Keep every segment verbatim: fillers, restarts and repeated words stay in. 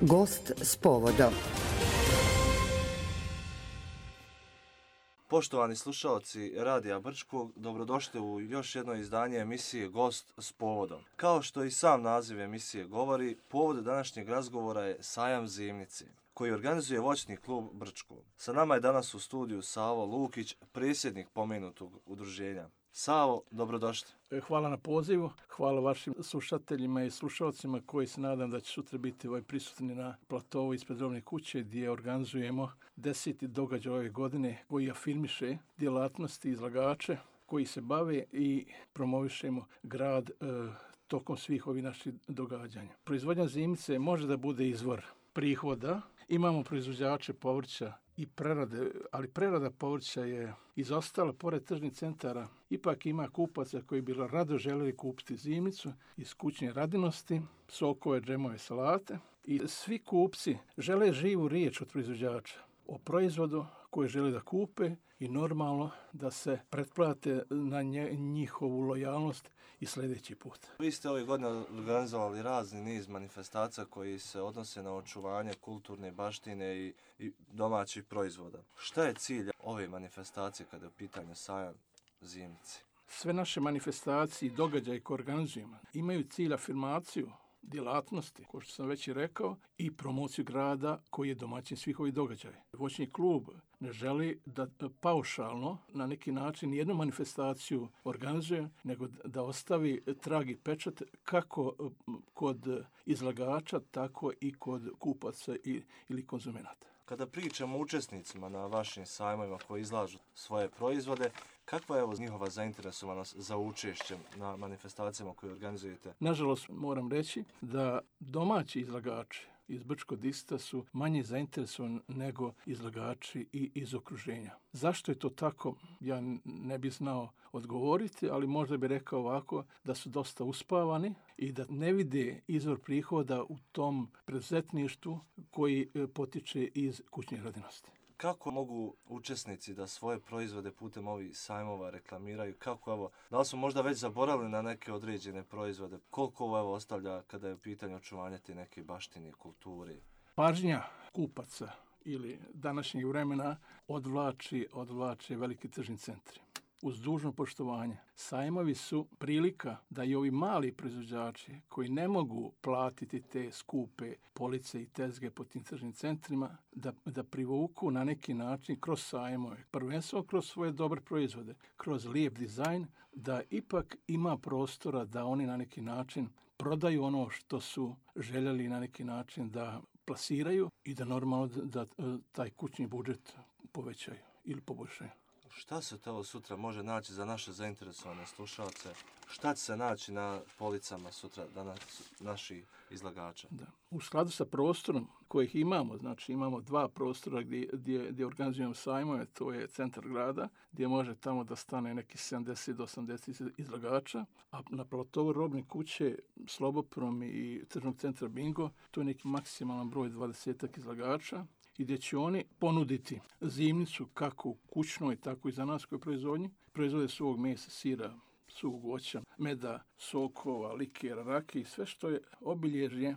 Gost s povodom. Poštovani slušalci Radija Brčkog, dobrodošli u još jedno izdanje emisije Gost s povodom. Kao što i sam naziv emisije govori, povod današnjeg razgovora je Sajam zimnice, koji organizuje voćni klub Brčko. Sa nama je danas u studiju Savo Lukić, predsjednik pomenutog udruženja. Savo, dobrodošli. Hvala na pozivu, hvala vašim slušateljima i slušalcima koji se nadam da će sutra biti ovaj prisutni na platovu ispred Robne kuće gdje organizujemo deseti događaj ove godine koji afirmiše djelatnosti izlagače koji se bave i promovišemo grad e, tokom svih ovih naših događanja. Proizvodnja zimnice može da bude izvor prihoda. Imamo proizvođače povrća i prerade, ali prerada povrća je izostala pored tržnih centara. Ipak ima kupaca koji bi rado željeli kupiti zimnicu iz kućne radinosti, sokove, džemove, salate. I svi kupci žele živu riječ od proizvođača o proizvodu koje žele da kupe i normalno da se pretplate na njihovu lojalnost i sljedeći put. Vi ste ove godine organizovali razni niz manifestacija koji se odnose na očuvanje kulturne baštine i, i domaćih proizvoda. Šta je cilj ove manifestacije kada je u pitanju Sajam zimnice? Sve naše manifestacije i događaje koje organizujemo imaju cilj afirmaciju djelatnosti, kao što sam već i rekao, i promociju grada koji je domaćin svih ovih događaja. Voćni klub ne želi da paušalno na neki način jednu manifestaciju organizuje, nego da ostavi trag i pečat kako kod izlagača, tako i kod kupaca ili konzumenata. Kada pričamo o učesnicima na vašim sajmovima koji izlažu svoje proizvode, kakva je evo njihova zainteresovanost za učešćem na manifestacijama koje organizujete? Nažalost, moram reći da domaći izlagači iz Brčkog distrikta su manje zainteresovani nego izlagači i iz okruženja. Zašto je to tako? Ja ne bih znao odgovoriti, ali možda bih rekao ovako da su dosta uspavani i da ne vide izvor prihoda u tom preduzetništvu koji potiče iz kućne radinosti. Kako mogu učesnici da svoje proizvode putem ovih sajmova reklamiraju? Kako, evo, da li smo možda već zaboravili na neke određene proizvode? Koliko ovo evo, ostavlja kada je u pitanju očuvanja te neke baštine, kulture? Pažnja kupaca ili današnjeg vremena odvlači, odvlači veliki tržni centri. Uz dužno poštovanje, sajmovi su prilika da i ovi mali proizvođači koji ne mogu platiti te skupe police i tezge po tim tržnim centrima, da, da privuku na neki način kroz sajmove, prvenstveno kroz svoje dobre proizvode, kroz lijep dizajn, da ipak ima prostora da oni na neki način prodaju ono što su željeli na neki način da plasiraju i da normalno da, da taj kućni budžet povećaju ili poboljšaju. Šta se to sutra može naći za naše zainteresovane slušalce? Šta će se naći na policama sutra danas naši izlagača? Da. U skladu sa prostorom kojih imamo, znači imamo dva prostora gdje, gdje, gdje organizujemo sajmove, to je centar grada, gdje može tamo da stane neki sedamdeset do osamdeset izlagača, a na platovu Robne kuće, Sloboprom i tržnog centra Bingo, to je neki maksimalan broj dvadesetak izlagača, i gdje će oni ponuditi zimnicu kako u kućnoj, tako i za nas koji proizvodnji. Proizvode suvog mesa, sira, suvog voća, meda, sokova, likera, rakije i sve što je obilježje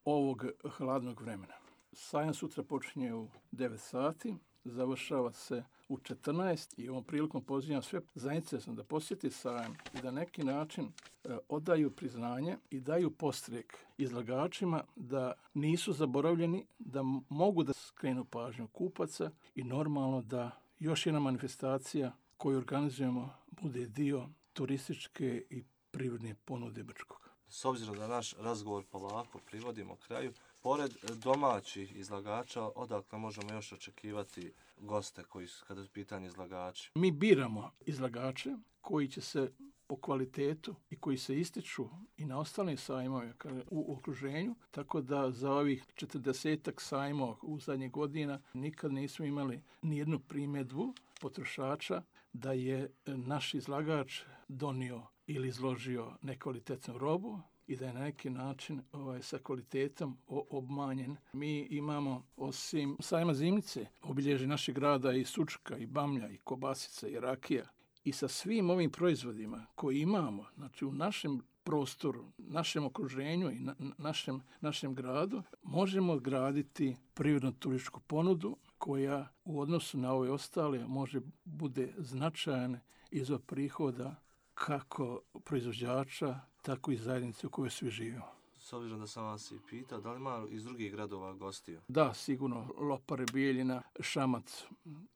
ovog hladnog vremena. Sajam sutra počinje u devet sati, završava se u četrnaest i ovom prilikom pozivam sve zainteresovane da posjeti sajam i da neki način e, odaju priznanje i daju podstrek izlagačima da nisu zaboravljeni, da mogu da skrenu pažnju kupaca i normalno da još jedna manifestacija koju organizujemo bude dio turističke i privredne ponude Brčkog. S obzirom da naš razgovor polako privodimo kraju, pored domaćih izlagača, odakle možemo još očekivati goste koji su kada su pitanje izlagači? Mi biramo izlagače koji će se po kvalitetu i koji se ističu i na ostalim sajmove u okruženju, tako da za ovih četrdesetak sajmova u zadnjih godina nikad nismo imali nijednu primjedbu potrošača da je naš izlagač donio ili izložio nekvalitetnu robu i da je na neki način ovaj, sa kvalitetom obmanjen. Mi imamo, osim sajma zimnice, obilježi našeg grada i sučka, i bamlja, i kobasica, i rakija. I sa svim ovim proizvodima koji imamo, znači u našem prostoru, našem okruženju i na, našem, našem gradu možemo graditi prirodnu turističku ponudu koja u odnosu na ove ostale može bude značajan izvor prihoda kako proizvođača, tako i zajednice u kojoj svi živimo. S obzirom da sam vas i pitao, da li ima iz drugih gradova gostiju? Da, sigurno. Lopare, Bijeljina, Šamac,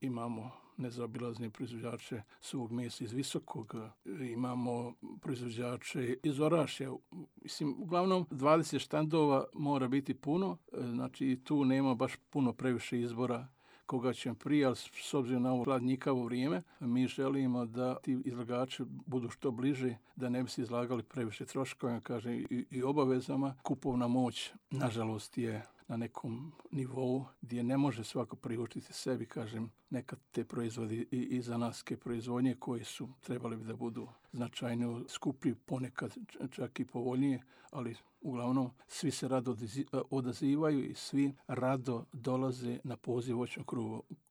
imamo nezaobilazne proizvođače suvog mesa iz Visokog, imamo proizvođače iz Orašja. Mislim, uglavnom dvadeset štandova mora biti puno, znači tu nema baš puno previše izbora koga ćemo prije, ali s obzirom na ovo hladnjikavo vrijeme, mi želimo da ti izlagači budu što bliže, da ne bi se izlagali previše troškova, kažem, i, i obavezama. Kupovna moć, nažalost, je na nekom nivou gdje ne može svako priuštiti sebi, kažem, nekad te proizvodi i, i zanatske proizvodnje koji su trebali bi da budu značajno skuplji, ponekad čak i povoljnije, ali uglavnom svi se rado odazivaju i svi rado dolaze na poziv voćnog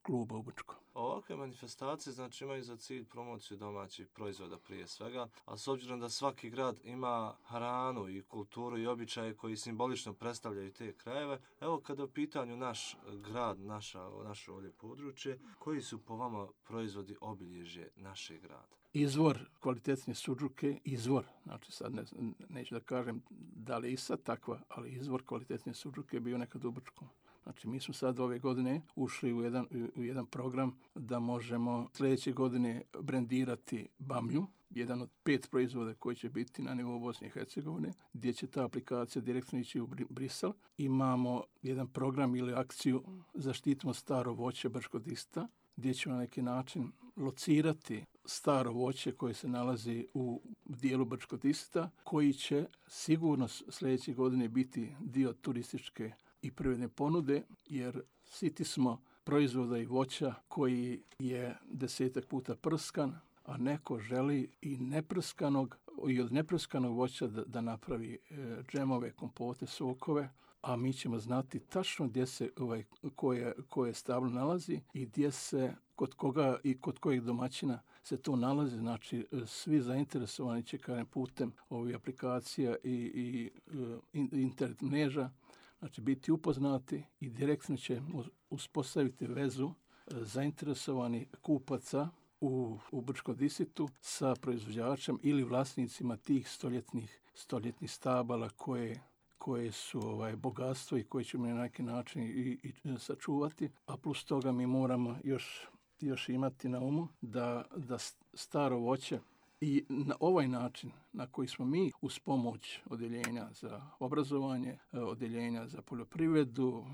kluba u Brčko. Ovakve manifestacije znači imaju za cilj promociju domaćih proizvoda prije svega, a s obzirom da svaki grad ima hranu i kulturu i običaje koji simbolično predstavljaju te krajeve, evo kada u pitanju naš grad, naša, naše ovdje područje, koji su po vama proizvodi obilježje našeg grada? Izvor kvalitetne suđuke, izvor, znači sad ne, neću da kažem da li je i sad takva, ali izvor kvalitetne suđuke je bio nekad u Brčkom. Znači, mi smo sad ove godine ušli u jedan, u jedan program da možemo sljedeće godine brendirati bamlju, jedan od pet proizvoda koji će biti na nivou Bosne i Hercegovine, gdje će ta aplikacija direktno ići u Brisel. Imamo jedan program ili akciju Zaštitimo staro voće Brčko-Dista, gdje ćemo na neki način locirati staro voće koje se nalazi u dijelu Brčko-Dista, koji će sigurno sljedeće godine biti dio turističke i privredne ponude, jer siti smo proizvoda i voća koji je desetak puta prskan, a neko želi i neprskanog i od neprskanog voća da, da napravi e, džemove, kompote, sokove, a mi ćemo znati tačno gdje se ovaj, koje, koje stablo nalazi i gdje se, kod koga i kod kojeg domaćina se to nalazi. Znači, svi zainteresovani će kažem, putem ovih aplikacija i, i uh, internet mreža, znači biti upoznati i direktno će uspostaviti vezu zainteresovani kupaca u, u Brčko-Disitu sa proizvođačem ili vlasnicima tih stoljetnih, stoljetnih stabala koje, koje su ovaj, bogatstvo i koje ćemo na neki način i, i sačuvati. A plus toga mi moramo još, još imati na umu da, da staro voće i na ovaj način na koji smo mi uz pomoć odjeljenja za obrazovanje, odjeljenja za poljoprivredu,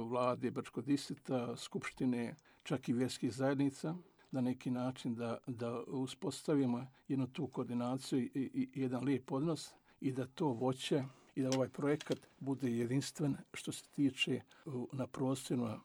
vlade Brčko-Disita, skupštine, čak i vjerskih zajednica, na neki način da, da uspostavimo jednu tu koordinaciju i, i, i jedan lijep odnos i da to voće i da ovaj projekat bude jedinstven što se tiče na prostorima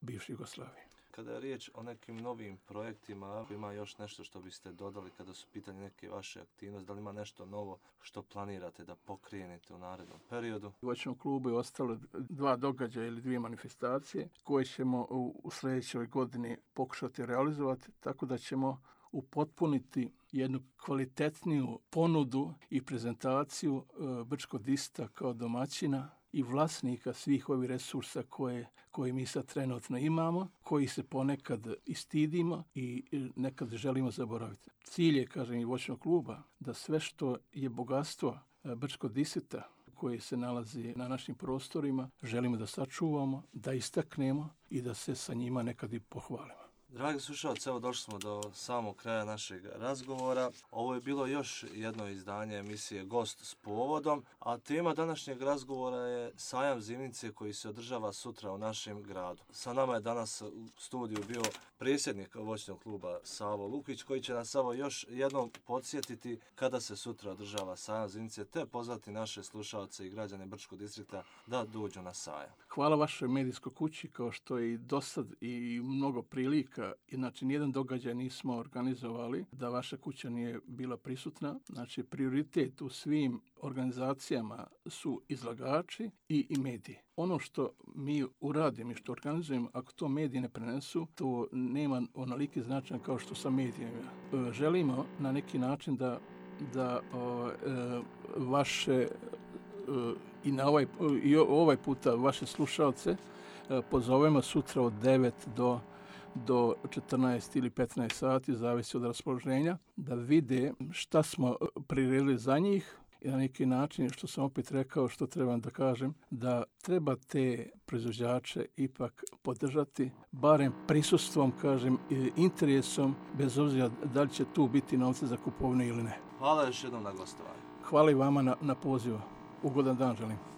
bivše Jugoslavije. Kada je riječ o nekim novim projektima, ima još nešto što biste dodali kada su pitanje neke vaše aktivnosti, da li ima nešto novo što planirate da pokrenete u narednom periodu? U voćnom klubu je ostalo dva događaja ili dvije manifestacije koje ćemo u, u sljedećoj godini pokušati realizovati, tako da ćemo upotpuniti jednu kvalitetniju ponudu i prezentaciju e, Brčko-Disita kao domaćina i vlasnika svih ovih resursa koje, koje mi sad trenutno imamo, koji se ponekad i stidimo i nekad želimo zaboraviti. Cilj je, kažem, i voćnog kluba da sve što je bogatstvo Brčko-Disita koje se nalazi na našim prostorima želimo da sačuvamo, da istaknemo i da se sa njima nekad i pohvalimo. Dragi slušalci, evo došli smo do samog kraja našeg razgovora. Ovo je bilo još jedno izdanje emisije Gost s povodom, a tema današnjeg razgovora je sajam zimnice koji se održava sutra u našem gradu. Sa nama je danas u studiju bio predsjednik voćnog kluba Savo Lukić, koji će nas samo još jednom podsjetiti kada se sutra održava sajam zimnice, te pozvati naše slušalce i građane Brčkog distrikta da dođu na sajam. Hvala vašoj medijskoj kući, kao što je i dosad i mnogo prilika. Znači, nijedan događaj nismo organizovali da vaša kuća nije bila prisutna. Znači, prioritet u svim organizacijama su izlagači i, i mediji. Ono što mi uradimo i što organizujemo, ako to mediji ne prenesu, to nema onoliki značaj kao što sa medijima. Želimo na neki način da da o, e, vaše e, i na ovaj, i ovaj puta vaše slušalce e, pozovemo sutra od devet do do četrnaest ili petnaest sati, zavisi od raspoloženja, da vide šta smo priredili za njih i na neki način, što sam opet rekao, što trebam da kažem, da treba te proizvođače ipak podržati, barem prisustvom, kažem, i interesom, bez obzira da li će tu biti novce za kupovinu ili ne. Hvala još jednom na gostovanju. Hvala i vama na, na pozivu. Ugodan dan želim.